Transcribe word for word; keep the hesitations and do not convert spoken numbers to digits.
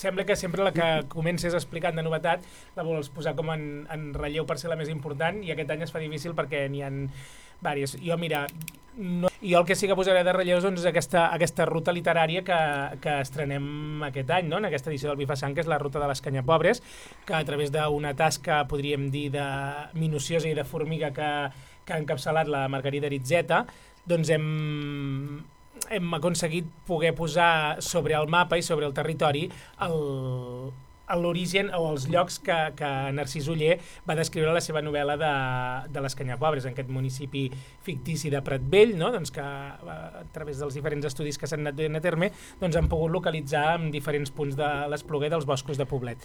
Sembla que sempre la que comences explicant de novetat la vols posar com en, en relleu per ser la més important i aquest any es fa difícil perquè n'hi ha diverses. Jo, mira, no, jo el que sí que posaré de relleu doncs, és aquesta, aquesta ruta literària que, que estrenem aquest any, no? En aquesta edició del Bifasang, que és la ruta de les Canyapobres, que a través d'una tasca, podríem dir, de minuciosa i de formiga que, que ha encapçalat la Margarida Ritzeta, doncs hem... hem aconseguit poder posar sobre el mapa i sobre el territori l'origen o els llocs que, que Narcís Oller va descriure a la seva novel·la de, de les Canyapobres, en aquest municipi fictici de Pratvell, no? Doncs que a través dels diferents estudis que s'han anat duent a terme doncs han pogut localitzar en diferents punts de l'Espluguer dels boscos de Poblet.